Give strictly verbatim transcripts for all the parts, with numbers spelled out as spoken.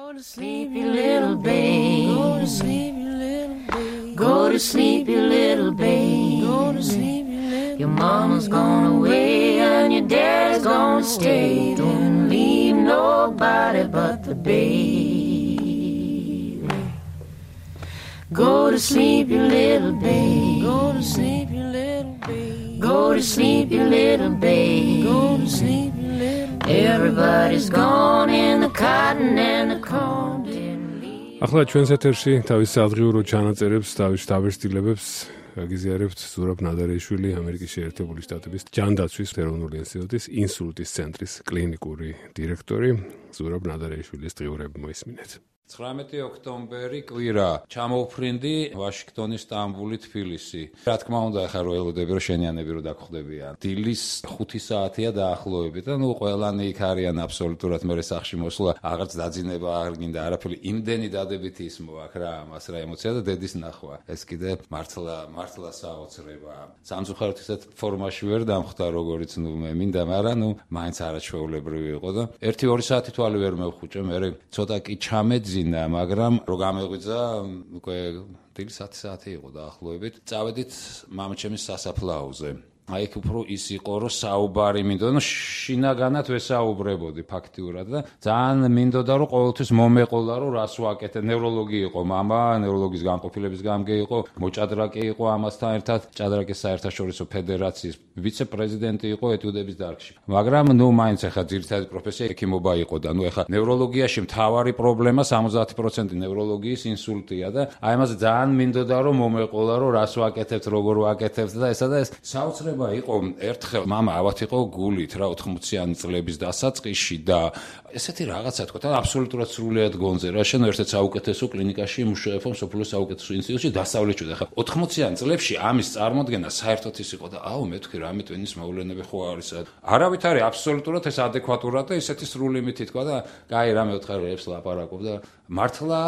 Go to sleep, you little babe. Go to sleep, you little babe. Go to sleep, you little babe. Go to sleep, you little. Your mama's gone away and your dad's gonna stay. Don't leave nobody but the baby. Go to sleep, you little babe. Go to sleep, you little babe. Go to sleep, you little babe. Go to sleep, you little babe. Everybody's gone in the cotton and the corn didn't leave. ახლა ჩვენს ეთერში თავის სადღიურო ჩანაწერებს, თავის დაბეჭდილებებს გაგიზიარებთ ზურაბ ნადარეიშვილი, ამერიკის შეერთებული შტატების ჯანდაცვის ეროვნული ინსტიტუტის ინსულტის ცენტრის კლინიკური დირექტორი. ზურაბ ნადარეიშვილის დღიურები მოისმინეთ. ცხრამეტი ოქტომბერი კვირა ჩამოვფრინდი ვაშინგტონი, სტამბული, თბილისი. რა თქმა უნდა, ახლა რო ელოდები რომ შენიანები რო დაგხვდებიან. დილის ხუთი საათია დაახლოებით და ნუ ყველანი იქ არიან აბსოლუტურად მე სახში მოსვლა აღარც დაძინება არ გინდა არაფერი იმდენი დადებითი ის მოაქვს რა ამას რა ემოცია და დედის ნახვა. ეს კიდე მართლა მართლა საოცრება. სამწუხაროდ ისეთ ფორმაში ვერ დამხვდა როგორიც ნუ მე მინდა, მაგრამ ნუ მაინც არაჩვეულებრივი იყო და ერთი ორი საათი თვალი ვერ მევხუჭე, მე ცოტა კი ჩამეძი მაგრამ რო გამეღვიძა უკვე დილის ათი საათი იყო დაახლოებით. წავედით მამაჩემის სასაფლაოზე. აი იქ უფრო ის იყო რომ საუბარი მინდოდა, შინაგანად ვესაუბრებოდი ფაქტიურად და ძალიან მინდოდა რომ ყოველთვის მომეყოლა რომ რას ვაკეთებ. ნევროლოგი იყო მამა, ნევროლოგის განყოფილების გამგე იყო, მოჭადრაკე იყო ამასთან ერთად, ჭადრაკის საერთაშორისო ფედერაციის ვიცე-პრეზიდენტი იყო ეტიუდების დარგში. მაგრამ ნუ მაინც ახლა ძირითადი პროფესია ექიმობა იყო და ნუ ახლა ნევროლოგიაში მთავარი პრობლემა სამოცდაათი პროცენტი ნევროლოგიის ინსულტია და აი ამაზე ძალიან მინდოდა რომ მომეყოლა რომ რას ვაკეთებთ, როგორ ვაკეთებთ და ესა და ეს საოცრება იყო. ერთხელ მამა ავათ იყო გულით რა ოთხმოციანი წლების დასაწყისში და ესეთი რაღაცა თქვა და აბსოლუტურად სრულიად გონზე რა შენ ერთ-ერთ საუკეთესო კლინიკაში მუშაობ მსოფლიოს საუკეთესო ინსტიტუტში დასავლეთში და ოთხმოციან წლებში ამის წარმოქმნა საერთოდ ის იყო და აუ მე თქვი რამე ტვინის მოვლენები ხო არის არავით არის აბსოლუტურად ეს ადეკვატურად და ისეთი სრული მითი თქვა და კაი რა მე ოთხარებს ლაპარაკობ და მართლა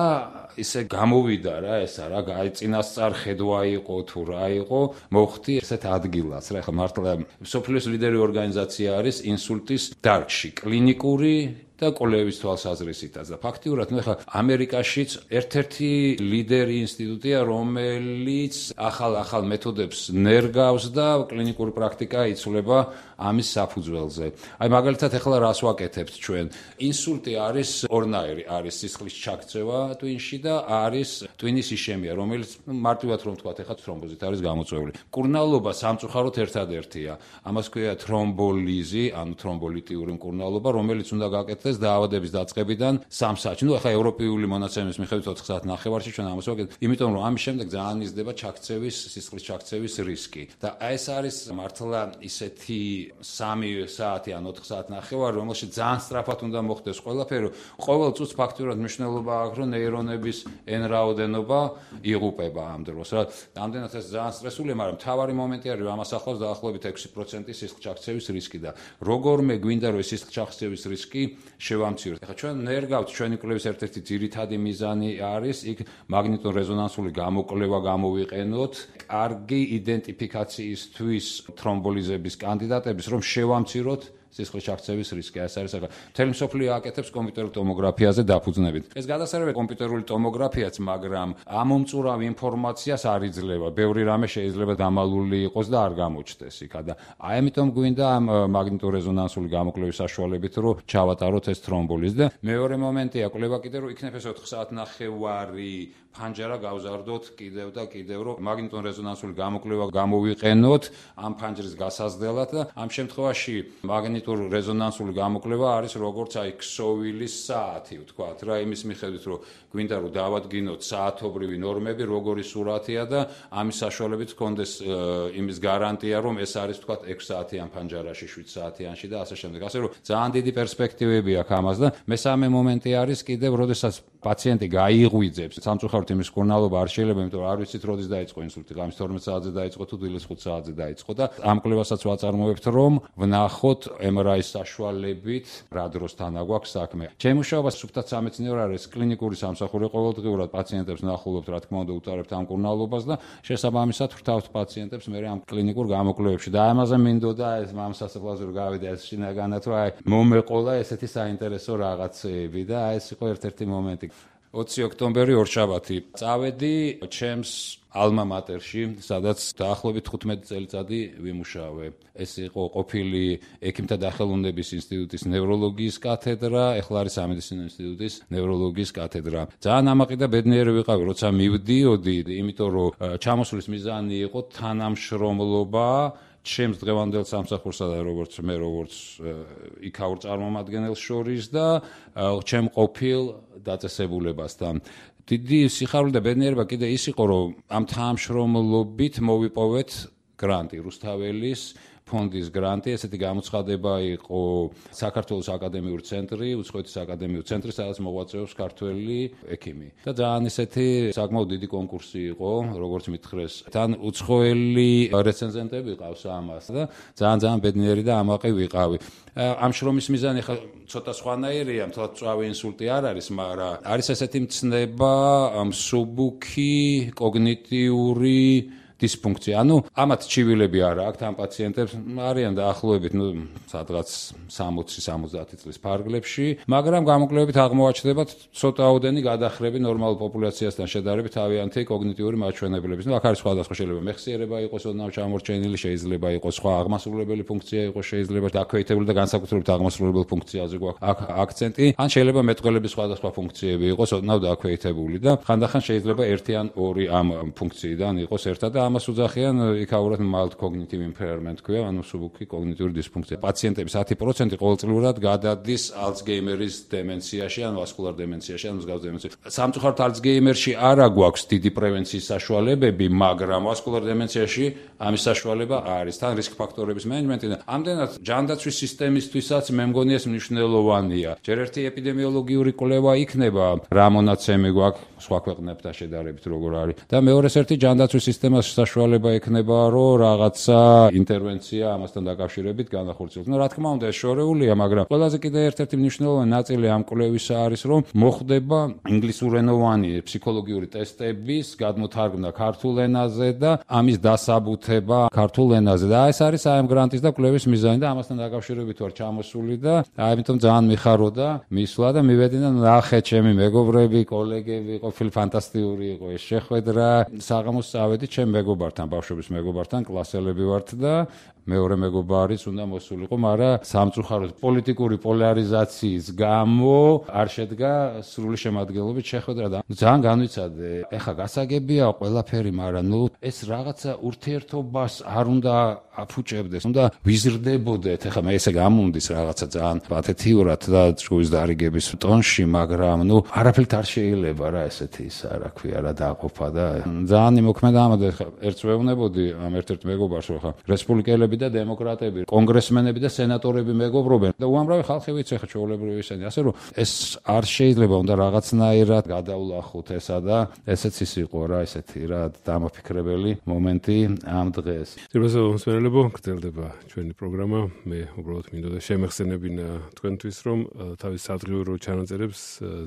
ისე გამოვიდა რა ესა რა წინასწარ ხედვა იყო თუ რა იყო მოხდი ესეთ ადგილას რა ხა მართლა მსოფლიოს ლიდერი ორგანიზაცია არის ინსულტის დარგში კლინიკური და კოლეების თვალსაზრისითაც და ფაქტიურად ნუ ხა ამერიკაშიც ერთ-ერთი ლიდერი ინსტიტუტია რომელიც ახალ-ახალ მეთოდებს ნერგავს და კლინიკური პრაქტიკა იცვლება ამის საფუძველზე. აი მაგალითად ახლა რას ვაკეთებთ ჩვენ? ინსულტი არის ორნაირი, არის სისხლის ჩაქცევა ტვინში და არის ტვინის იშემია, რომელიც მარტივად რომ ვთქვათ, ახლა თრომბოზით არის გამოწვეული. მკურნალობა სამწუხაროდ ერთადერთია. ამას ქვია თრომბოლიზი, ანუ თრომბოლიტიური მკურნალობა, რომელიც უნდა გაკეთდეს დაავადების დაწყებიდან სამ საათში. ნუ ახლა ევროპული მონაცემის მიხედვით ოთხ საათ ნახევარში ჩვენ ამას ვაკეთებთ, იმიტომ რომ ამის შემდეგ ძალიან იზრდება ჩაქცევის, სისხლის ჩაქცევის რისკი. და ეს არის მართლა ისეთი სამი საათი ან ოთხ საათ ნახევარი, რომელშიც ძალიან სწრაფად უნდა მოხდეს ყველაფერი. ყოველ წუთს ფაქტურად მნიშვნელობა აქვს, რომ ნეირონების n რაოდენობა იღუპება ამ დროს. რა, ამდენად ეს ძალიან სტრესულია, მაგრამ მთავარი მომენტი არის, რომ ამას ახლავს დაახლოებით ექვსი პროცენტი სისხლის ჩაქცევის რისკი და როგორმე გვინდა რომ ეს სისხლის ჩაქცევის რისკი შევამციროთ. ახლა ჩვენ ნერგავთ, ჩვენი კვლევის ერთ-ერთი ძირითადი მიზანი არის იქ მაგნიტურ-რეზონანსული გამოკვლევა გამოვიყენოთ, კარგი იდენტიფიკაციისთვის თრომბოლიზების კანდიდატების რომ შევამციროთ სისხლის ჩაქცევის რისკი. ეს არის ახლა მთელი მსოფლიო აკეთებს კომპიუტერულ ტომოგრაფიაზე დაფუძნებით. ეს გადასარევია კომპიუტერული ტომოგრაფიაც, მაგრამ ამომწურავ ინფორმაციას არ იძლევა. ბევრი რამე შეიძლება დამალული იყოს და არ გამოჩნდეს იქ და აი ამიტომ გვინდა ამ მაგნიტურ-რეზონანსული გამოკვლევის საშუალებით რომ ჩავატაროთ ეს თრომბოლიზი და მეორე მომენტია კვლევა კიდე რომ იქნებ ეს ოთხ საათ ნახევარი ფანჯარა გავზარდოთ კიდევ და კიდევ რომ მაგნიტურ-რეზონანსული გამოკვლევა გამოვიყენოთ ამ ფანჯრის გასაზრდელად და ამ შემთხვევაში მაგნიტურ-რეზონანსული გამოკვლევა არის როგორც აი ქსოვილის საათი ვთქვათ რა იმის მიხედვით რომ გვინდა რომ დავადგინოთ საათობრივი ნორმები როგორი სურათია და ამის საშუალებით გქონდეს იმის გარანტია რომ ეს არის ვთქვათ ექვს საათიან ფანჯარაში შვიდ საათიანში და ასე შემდეგ ასე რომ ძალიან დიდი პერსპექტივები აქვს ამას და მესამე მომენტი არის კიდევ როდესაც პაციენტი გაიღვიძებს სამწუხაროდ იმის მკურნალობა არ შეიძლება, იმიტომ რომ არ ვიცით როდის დაიწყო ინსულტი, ღამის თორმეტ საათზე დაიწყო თუ დილის ხუთ საათზე დაიწყო და ამ კვლევასაც ვაწარმოებთ, რომ ვნახოთ эм эр აი-ის საშუალებით რა დროსთან აგვაქვს საქმე. ჩემი მუშაობა სუფთად სამეცნიერო არის, კლინიკური სამსახური ყოველდღიურად პაციენტებს ნახულობთ, რა თქმა უნდა, უტარებთ ამ მკურნალობას და შესაბამისად ვრთავთ პაციენტებს მე ამ კლინიკურ გამოკვლევებში. და ამაზე მინდოდა ეს მამ სასწავლებლაზე რომ გავიდე ეს შინაგანად, რომ აი მომეყოლა ესეთი საინტერესო რაღაცეები და აი ეს იყო ერთ-ერთი მომენტი. ოცი ოქტომბერი ორშაბათი წავედი ჩემს ალმა მატერში, სადაც დაახლოებით თხუთმეტი წელიწადი ვიმუშავე. ეს იყო ყოფილი ექიმთა დახელოვნების ინსტიტუტის ნევროლოგიის კათედრა, ეხლა არის სამედიცინო ინსტიტუტის ნევროლოგიის კათედრა. ძალიან ამაყი და ბედნიერი ვიყავი, როცა მივდიოდი, იმიტომ რომ ჩამოსვლის მიზანი იყო თანამშრომლობა ჩემს დღევანდელ სამსახურსა და როგორც მე როგორც იქაურ წარმომადგენელს შორის და ჩემ ყოფილ დაწესებულებასთან. დიდი სიხარული და ბედნიერება კიდე ის იყო, რომ ამ თანამშრომლობით მოვიპოვეთ გრანტი რუსთაველის ფონდის გრანტი, ესეთი გამოცხადება იყო საქართველოს აკადემიური ცენტრი, უცხოეთის აკადემიური ცენტრი, სადაც მოღვაწეობს ქართველი ექიმი. და ძალიან ესეთი საკმაოდ დიდი კონკურსი იყო, როგორც მითხრეს. თან უცხოელი რეცენზენტები ყავს ამას და ძალიან ძალიან ბედნიერი და ამაყი ვიყავი. ამ შრომის მიზანი ხა ცოტა სხვანაირია, მთლად მწვავე ინსულტი არ არის, მაგრამ არის ესეთი მცნება მსუბუქი კოგნიტიური დისფუნქცია. ანუ ამათ ჩივილები არა აქვთ ამ პაციენტებს, არიან დაახლოებით, ნუ სადღაც სამოცი სამოცდაათი წლის ფარგლებში, მაგრამ გამოკვლევებით აღმოაჩნდება ცოტაოდენი გადახრები ნორმალურ პოპულაციასთან შედარებით თავიანთი კოგნიტიური მაჩვენებლების. ნუ აქ არის სხვადასხვა, შეიძლება მეხსიერება იყოს ოდნავ ჩამორჩენილი, შეიძლება იყოს სხვა აღმასრულებელი ფუნქცია იყოს, შეიძლება დაქვეითებული და განსაკუთრებით აღმასრულებელი ფუნქციაზე გვაქვს აქ აქცენტი, ან შეიძლება მეტყველების სხვადასხვა ფუნქციები იყოს ოდნავ დაქვეითებული და ხანდახან შეიძლება ერთი ან ორი ამ ფუნქციიდან იყოს ერთად და ამას უძახიან იქაურად mild cognitive impairment ქვია, ანუ მსუბუქი კოგნიტიური დისფუნქცია. პაციენტების ათი პროცენტი ყოველწლიურად გადადის ალცგეიმერის დემენციაში, ან ვასკულარ დემენციაში, ან მსგავს დემენციაში. სამწუხაროდ ალცგეიმერში არ აქვს დიდი პრევენციის საშუალებები, მაგრამ ვასკულარ დემენციაში ამის საშუალება არის. თან რისკ ფაქტორების მენეჯმენტი და ამდენად ჯანდაცვის სისტემისთვისაც მე მგონი ეს მნიშვნელოვანია. ჯერ ერთი ეპიდემიოლოგიური კვლევა იქნება, რა მონაცემი გვაქვს სხვა ქვეყნებთან შედარებით როგორ არის. და მეორეს ერთი ჯანდაცვის სისტემას საშუალება ექნება, რომ რაღაცა ინტერვენცია ამასთან დაკავშირებით განახორციელოს. ნუ რა თქმა უნდა ეს შორეულია, მაგრამ ყველაზე კიდე ერთ-ერთი მნიშვნელოვანი ნაწილი ამ კვლევისა არის, რომ მოხდება ინგლისურენოვანი ფსიქოლოგიური ტესტების გადმოთარგმნა ქართულ ენაზე და ამის დასაბუთება ქართულ ენაზე. და ეს არის აი ამ გრანტის და კვლევის მიზანი და ამასთან დაკავშირებით ვარ ჩამოსული და ამიტომ ძალიან მიხაროდა მისვლა და მივედი და ნახე ჩემი მეგობრები, კოლეგები, ყოფილი ფანტასტიკური იყო ეს შეხვედრა. საღამოს წავედი ჩემ მეგობართან, ბავშვების მეგობართან, კლასელები ვართ და მეორე მეგობარიც უნდა მოსულიყო, მაგრამ სამწუხაროდ პოლიტიკური პოლარიზაციის გამო არ შედგა სრული შემადგენლობით შეხვედრა და ძალიან განვიცადე. ეხა გასაგებია ყველაფერი, მაგრამ ნუ ეს რაღაცა ურთიერთობას არ უნდა აფუჭებდეს, უნდა ვიზრდებოდეთ. ეხა მე ესე გამუნდის რაღაცა ძალიან პათეთიურად და ჭკუის დარიგების ტონში, მაგრამ ნუ არაფერით არ შეიძლება რა ესეთი ისა რა ქვია რა დააყოფა და ძალიან იმოქმედა ამაზე. ეხა ერთს ვეუბნებოდი ამ ერთ-ერთ მეგობარს, რომ ეხა რესპუბლიკელები და დემოკრატები, კონგრესმენები და სენატორები მეგობრობენ და უამრავი ხალხი ვიცი ხა ჩვეულებრივი ისინი, ასე რომ ეს არ შეიძლება, უნდა რაღაცნაირად გადავლახოთ ესა და ესეც ის იყო რა, ესეთი რა დამაფიქრებელი მომენტი ამ დღეს. ძირფასო მსმენელებო, გრძელდება ჩვენი პროგრამა. მე უბრალოდ მინდოდა შემეხსენებინა თქვენთვის, რომ თავის სადღიურო ჩანაწერებს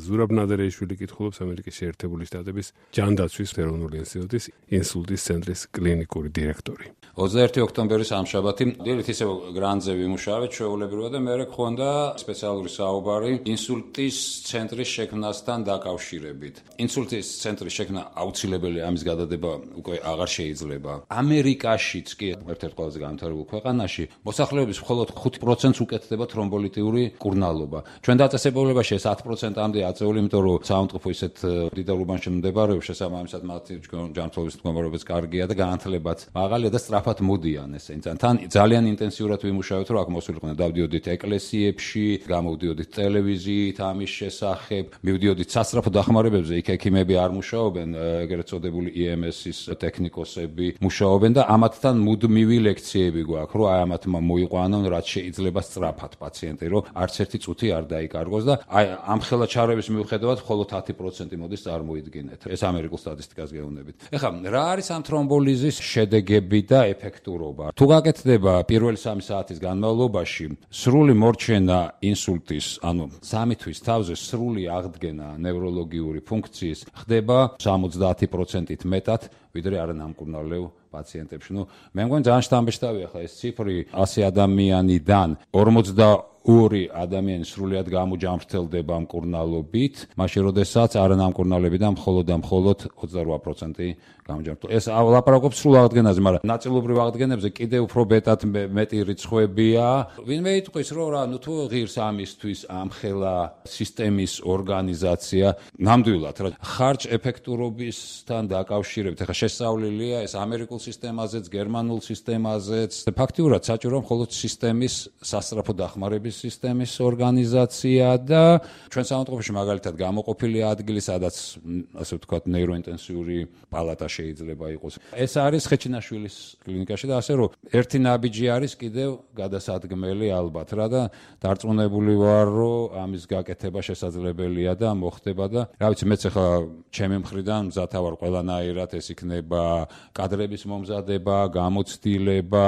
ზურაბ ნადარეიშვილი კითხულობს ამერიკის შეერთებული შტატების ჯანდაცვის ეროვნული ინსტიტუტის ინსულტის ცენტრის კლინიკური დირექტორი. ოცდაერთი ოქტომბერი სამშაბათი დილით ისევ გრანტზე ვიმუშავეთ ჩვეულებრივად და მე გქონდა სპეციალური საუბარი ინსულტის ცენტრის შექმნასთან დაკავშირებით. ინსულტის ცენტრის შექმნა აუცილებელი, ამის გადადება უკვე აღარ შეიძლება. ამერიკაშიც კი ერთ-ერთ ყველაზე განვითარებულ ქვეყანაში მოსახლეობის მხოლოდ ხუთ პროცენტს უკეთდება თრომბოლიტიური მკურნალობა. ჩვენ დაწესებულებაში ეს ათ პროცენტამდე აწეული, იმიტომ რომ საავადმყოფო ისეთ დიდ ურბანში მდებარეობს, შესაბამისად მათი ჯანმრთელობის მდგომარეობაც კარგია და განათლებაც მაღალია და სწრაფად მოდიან ესენი. თან ძალიან ინტენსიურად ვიმუშავეთ, რომ აქ მოსულიყვნენ. დავდიოდით ეკლესიებში, გამოვდიოდით ტელევიზიით ამის შესახებ, მივდიოდით სასწრაფო დახმარებებზე, იქ ექიმები არ მუშაობენ, ეგრეთ წოდებული ი ემ ეს-ის ტექნიკოსები მუშაობენ და ამათთან მუდმივი ლექციები გვაქვს, რომ აი ამათმა მოიყვანონ, რაც შეიძლება სწრაფად პაციენტი, რომ არც ერთი წუთი არ დაიკარგოს და აი ამ ხელაჩარების მიუხედავად მხოლოდ ათი პროცენტი მოდის წარმოიდგინეთ. ეს ამერიკულ სტატისტიკას გეუბნებით. ეხლა რა არის ამ თრომბოლიზის შედეგები და ეფექტურობა? თუ გაკეთდება პირველი სამი საათის განმავლობაში სრული მორჩენა ინსულტის, ანუ სამი თვის თავზე სრული აღდგენა ნევროლოგიური ფუნქციის ხდება სამოცდაათი პროცენტით მეტად, ვიდრე არანამკურნალო პაციენტებში. ნუ მე მგონი ძალიან შთამბეჭდავია ხა ეს ციფრი ასი ადამიანიდან ორმოცდაორი ადამიანი სრულად გამოჯამრთელდება მკურნალობით, მაშინ როდესაც არანამკურნალებიდან მხოლოდ და მხოლოდ ოცდარვა პროცენტი გამოჯამრთელდება. ეს ლაპარაკობს სრულ აღდგენაზე, მაგრამ ნაწილობრივ აღდგენებზე კიდევ უფრო მეტად მეტი რიცხვებია. ვინმე იტყვის, რომ რა, ნუ თუ ღირს ამისთვის ამხელა სისტემის ორგანიზაცია, ნამდვილად რა, ხარჯ ეფექტურობისთან დაკავშირებით, ახლა შესწავლილია ეს ამერიკულ სისტემაზეც, გერმანულ სისტემაზეც. ფაქტიურად საჭირო მხოლოდ სისტემის სასწრაფო დახმარების სისტემის ორგანიზაცია და ჩვენ სამონტყოფოში მაგალითად გამოყოფილი ადგილი, სადაც ასე ვთქვათ ნეიროინტენსიური პალატა შეიძლება იყოს. ეს არის ხეჩინაშვილის კლინიკაში და ასე რომ ერთი ნაბიჯი არის კიდევ გადასადგმელი ალბათ რა და დარწმუნებული ვარ, რომ ამის გაკეთება შესაძლებელია და მოხდება და რა ვიცი, მეც ახლა ჩემი მხრიდან მზათა ვარ ყველანაირად, ეს იქნება კადრების მომზადება, გამოცდილება,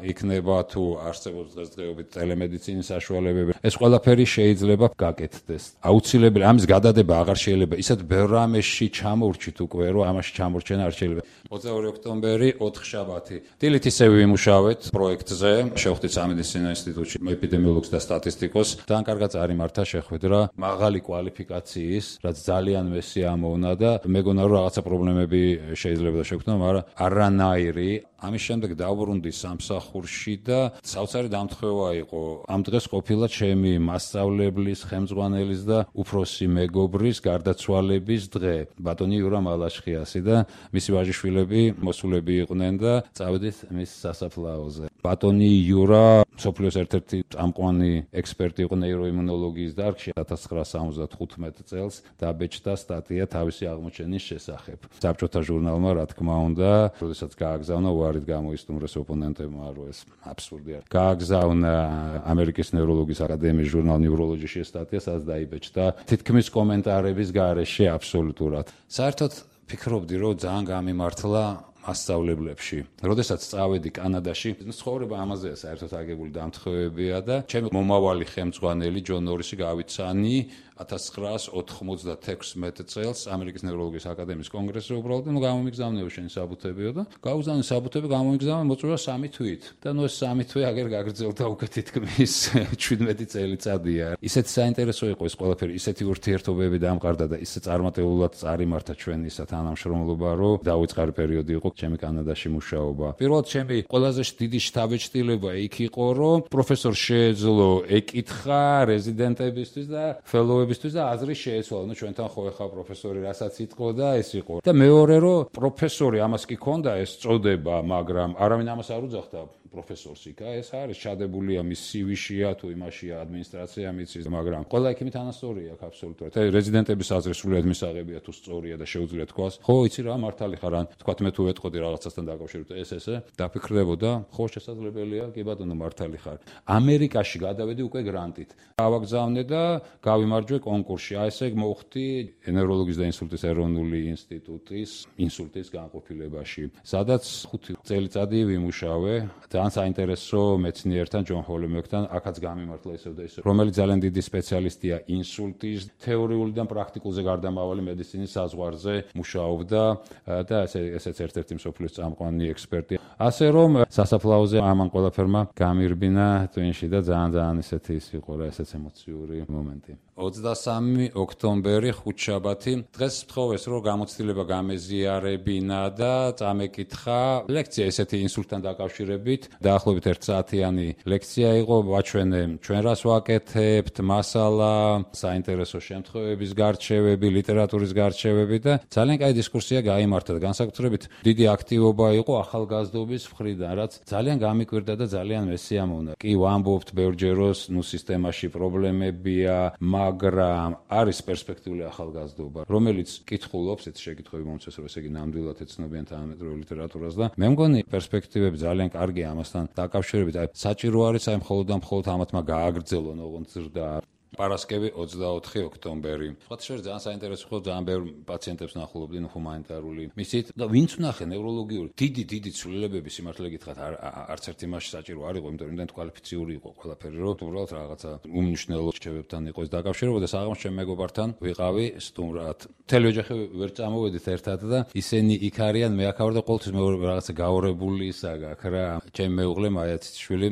იქნება თუ არსებობს დღესდღეობით ტელემედიცინის საშუალებები. ეს ყველაფერი შეიძლება გაკეთდეს. აუცილებელი ამის გადადება აღარ შეიძლება. ისეთ ბევრ რამეში ჩამოვრჩით უკვე, რომ ამაში ჩამორჩენა არ შეიძლება. ოცდაორი ოქტომბერი, ოთხშაბათი. დილით ისე ვიმუშავეთ პროექტზე, შევხვდით სამედიცინო ინსტიტუტში ეპიდემიოლოგს და სტატისტიკოს. ძალიან კარგად წარიმართა შეხვედრა, მაღალი კვალიფიკაციის, რაც ძალიან მესია ამოვნა და მეგონა რომ რაღაცა პრობლემები შეიძლება და შეგვქნა, მაგრამ არანაირი. ამის შემდეგ დავბრუნდი სამსახურში და საოცარი დამთხევა იყო. ამ დღეს ყოფილა ჩემი მასწავლებლის, ხელმძღვანელის და უფროსი მეგობრის გარდაცვალების დღე, ბატონი იურა მალაშხიასი და მისი ვაჟიშვილები მოსულები იყვნენ და წავედით მის სასაფლაოზე. ბატონი იურა მსოფლიოს ერთ-ერთი წამყვანი ექსპერტი იყო ნეიროიმუნოლოგიის დარგში. ათას ცხრაასა ორმოცდახუთმეტ წელს დაბეჭდა სტატია თავისი აღმოჩენის შესახებ. საბჭოთა ჟურნალმა, რა თქმა უნდა, როდესაც გააგზავნა უარით გამოისტუმრეს ოპონენტებმა, რომ ეს აბსურდია. გააგზავნა ამერიკის ნეიროლოგიის აკადემიის ჟურნალ ნეიროლოჯიში სტატია, სადაც დაიბეჭდა თითქმის კომენტარების გარეშე აბსოლუტურად. საერთოდ ფიქრობდი, რომ ძალიან გამიმართლა მასწავლებლებში. როდესაც წავედი კანადაში, ცხოვრება ამაზეა საერთოდ აგებული დამთხევებია და ჩემი მომავალი ხელმძღვანელი ჯონ ნორისი გავიცანი ათას ცხრაას ოთხმოცდათექვსმეტ წელს ამერიკის ნეიროლოგიის აკადემიის კონგრესზე უბრალოდ ნუ გამომიგზავნეო შენი საბუთებიო და გავუგზავნე საბუთები, გამომიგზავნე მოწვევა სამი თვით. და ნუ ეს სამი თვე აგერ გაგრძელდა უკვე თითქმის შვიდმეტი წელიწადია. ისეთი საინტერესო იყო ეს ყველაფერი, ისეთი ურთიერთობები დამყარდა და ისე წარმატებულად წარიმართა ჩვენი ისა თანამშრომლობა, რომ დაუწყარი პერიოდი იყო ჩემი კანადაში მუშაობა. პირველად ჩემი ყველაზე დიდი შთაბეჭდილება იქ იყო, რომ პროფესორ შეეძლო ეკითხა რეზიდენტებისთვის და fellow-ებისთვის და აზრი შეეცვალა. ნუ ჩვენთან ხო ეხა პროფესორი რასაც იტყო და ეს იყო. და მეორე რომ პროფესორი ამას კი ქონდა ეს წოდება, მაგრამ არავინ ამას არ უძახდა პროფესორს იქა, ეს არის ჩადებულია მის სი ვიშია თუ იმაშია ადმინისტრაცია მიცის, მაგრამ ყველა ექიმი თანასწორია აქ აბსოლუტურად. აი რეზიდენტების აზრი სრულიად მისაღებია თუ სწორია და შეუძლია თქვას. ხო, იცი რა, მართალი ხარ, ან თქვათ მე თუ ეტყოდი რაღაცასთან დაკავშირებით ეს ესე, დაფიქრდებოდა, ხო შესაძლებელია, კი ბატონო მართალი ხარ. ამერიკაში გადავედი უკვე გრანტით. გავაგზავნე და გავიმარჯვე კონკურსში. აი ესე მოვხდი ნეიროლოგიის და ინსულტის ეროვნული ინსტიტუტის ინსულტის განყოფილებაში, სადაც ხუთი წელიწადი ვიმუშავე. ძალიან საინტერესო მეცნიერთან, ჯონ ჰოლმეკთან, აქაც გამიმართლა ისევ და ისევ, რომელიც ძალიან დიდი სპეციალისტია ინსულტის, თეორიულიდან პრაქტიკულზე გარდამავალი მედიცინის საზღვარზე მუშაობდა და ესე ესეც ერთ-ერთი მსოფლიოს წამყვანი ექსპერტი. ასე რომ სასაფლაოზე ამან ყველაფერმა გამირბინა twin-ში და ძალიან ძალიან ისეთი ის იყო რა, ესეც ემოციური მომენტი. ოცდასამი ოქტომბერი, ხუთშაბათი. დღეს ვთხოვეს, რომ გამოცდილება გამეზიარებინა და წამეკითხა ლექცია ესეთი ინსულტთან დაკავშირებით, დაახლოებით ერთ საათიანი ლექცია იყო, ვაჩვენე ჩვენ რას ვაკეთებთ, მასალა, საინტერესო შემთხვევების გარჩევები, ლიტერატურის გარჩევები და ძალიან კაი დისკუსია გაიმართა და განსაკუთრებით დიდი აქტივობა იყო ახალგაზრდობის მხრიდან, რაც ძალიან გამიკვირდა და ძალიან მესიამოვნა. კი ვამბობთ ბევრჯეროს, ნუ სისტემაში პრობლემებია, მაგრამ არის პერსპექტიული ახალგაზრდობა, რომელიც კითხულობს, ეს შეკითხვები მომწეს, რომ ესე იგი ნამდვილად ეცნობიან თანამედროვე ლიტერატურას და მე მგონი პერსპექტივები ძალიან კარგია ამასთან დაკავშირებით. აი საჭირო არის აი მხოლოდ და მხოლოდ ამათმა გააგრძელონ, ოღონდ ზრდა. პარასკევი ოცდაოთხი ოქტომბერი. სხვათა შორის ძალიან საინტერესო ხო, ძალიან ბევრ პაციენტებს ნახულობდი ჰუმანიტარული მისით და ვინც ვნახე ნევროლოგიური დიდი დიდი ცვლილებები სიმართლე გითხრათ არც ერთ იმაში საჭირო არ იყო, იმიტომ რომ იმდენ კვალიფიციური იყო ყველაფერი, რომ უბრალოდ რაღაცა უმნიშვნელო რჩევებთან იყო ეს დაკავშირება და საღამოს ჩემ მეგობართან ვიყავი სტუმრად. მთელი ოჯახი ვერ წამოვედით ერთად და ისინი იქ არიან, მე აქ ვარ და ყოველთვის მე რაღაცა გაორებული ისა გაქვს რა. ჩემი მეუღლე მაიაციშვილი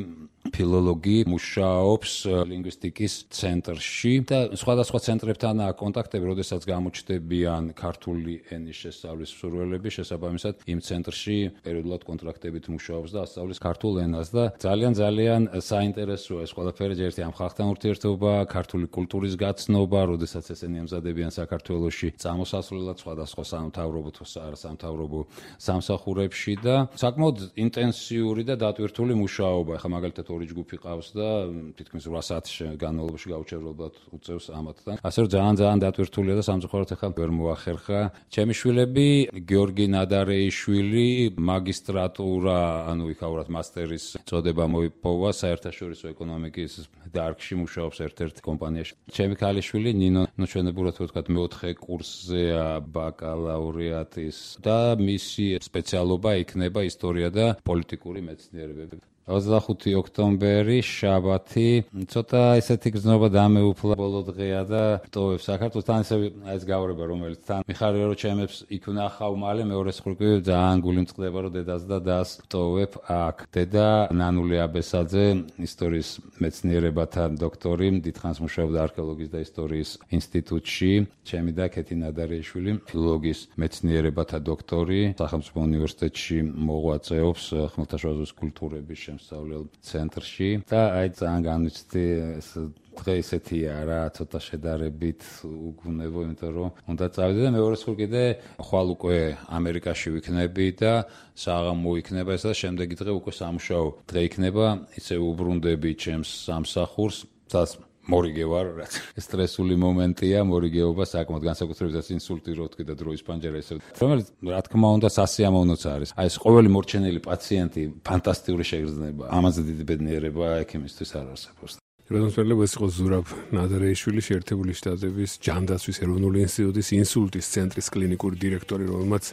ფილოლოგი მუშაობს ლინგვისტიკის ცენტრში და სხვადასხვა ცენტრებთანაა კონტაქტები, როდესაც გამოჩნდებიან ქართული ენის შესწავლის მსურველები, შესაბამისად იმ ცენტრში პერიოდულად კონტრაქტებით მუშაობს და ასწავლის ქართულ ენას და ძალიან ძალიან საინტერესოა ეს ყველაფერი, ერთი ამ ხალხთან ურთიერთობა, ქართული კულტურის გაცნობა, როდესაც ესენი ემზადებიან საქართველოში წამოსასვლელად სხვადასხვა სამთავრობო თუ არასამთავრობო სამსახურებში და საკმაოდ ინტენსიური და დატვირთული მუშაობა. ახლა მაგალითად ორი ჯგუფი ყავს და თითქმის რვა საათის განმავლობაში გაუჩერებლად უწევს ამათთან. ასე რომ ძალიან ძალიან დატვირთულია და სამწუხაროდ ახლა ვერ მოახერხა. ჩემი შვილები, გიორგი ნადარეიშვილი, მაგისტრატურა, ანუ იქაურად მასტერის წოდება მოიპოვა საერთაშორისო ეკონომიკის დარგში, მუშაობს ერთ-ერთ კომპანიაში. ჩემი ქალიშვილი ნინო, ნუ ჩვენებურად ვთქვათ, მეოთხე კურსზეა ბაკალავრიატის და მისი სპეციალობა იქნება ისტორია და პოლიტიკური მეცნიერებები. ოცდახუთი ოქტომბერი, შაბათი, ცოტა ესეთი გრძნობა დამეუფლა ბოლო დღეა და ტოვებს საქართველოს თან ესე ეს გავრება, რომელიც თან მიხარია რომ ჩემებს იქ ვნახავ მალე მეორე სხურკი ძალიან გული მწყდება რომ დედას და დას ტოვებ აქ. დედა ნანული აბესაძე, ისტორიის მეცნიერებათა დოქტორი, დიდხანს მუშაობდა არქეოლოგიის და ისტორიის ინსტიტუტში. ჩემი და კეთი ნადარეიშვილი, ფილოლოგიის მეცნიერებათა დოქტორი, სახელმწიფო უნივერსიტეტში მოღვაწეობს ხმელთაშუაზღვის კულტურების სწავლელ ცენტრში და აი ძალიან განვიცდი ეს დღე ისეთია რა, ცოტა შედარებით უგუნებო, იმიტომ რომ უნდა წავიდე და მეორე სულ კიდე ხვალ უკვე ამერიკაში ვიქნები და საღამო მოიქნება ეს და შემდეგი დღე უკვე სამუშაო დღე იქნება, ისე უბრუნდები ჩემს სამსახურს, სადაც მორიგე ვარ, რაც სტრესული მომენტია, მორიგეობა საკმაოდ განსაკუთრებით ინსულტი რო თქვი და დროის პანჯერა ისე. რომელიც რა თქმა უნდა სასიამოვნოც არის. აი ეს ყოველი მორჩენილი პაციენტი ფანტასტიკური შეგრძნება. ამაზე დიდი ბედნიერება ექიმისთვის არ არსებობს. როდოსველებ ეს იყო ზურაბ ნადარეიშვილი, შეერთებული შტატების ჯანდაცვის ეროვნული ინსტიტუტის ინსულტის ცენტრის კლინიკური დირექტორი, რომელმაც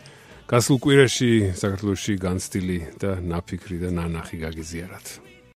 გასულ კვირაში საქართველოში განცდილი და ნაფიქრი და ნანახი გაგიზიარათ.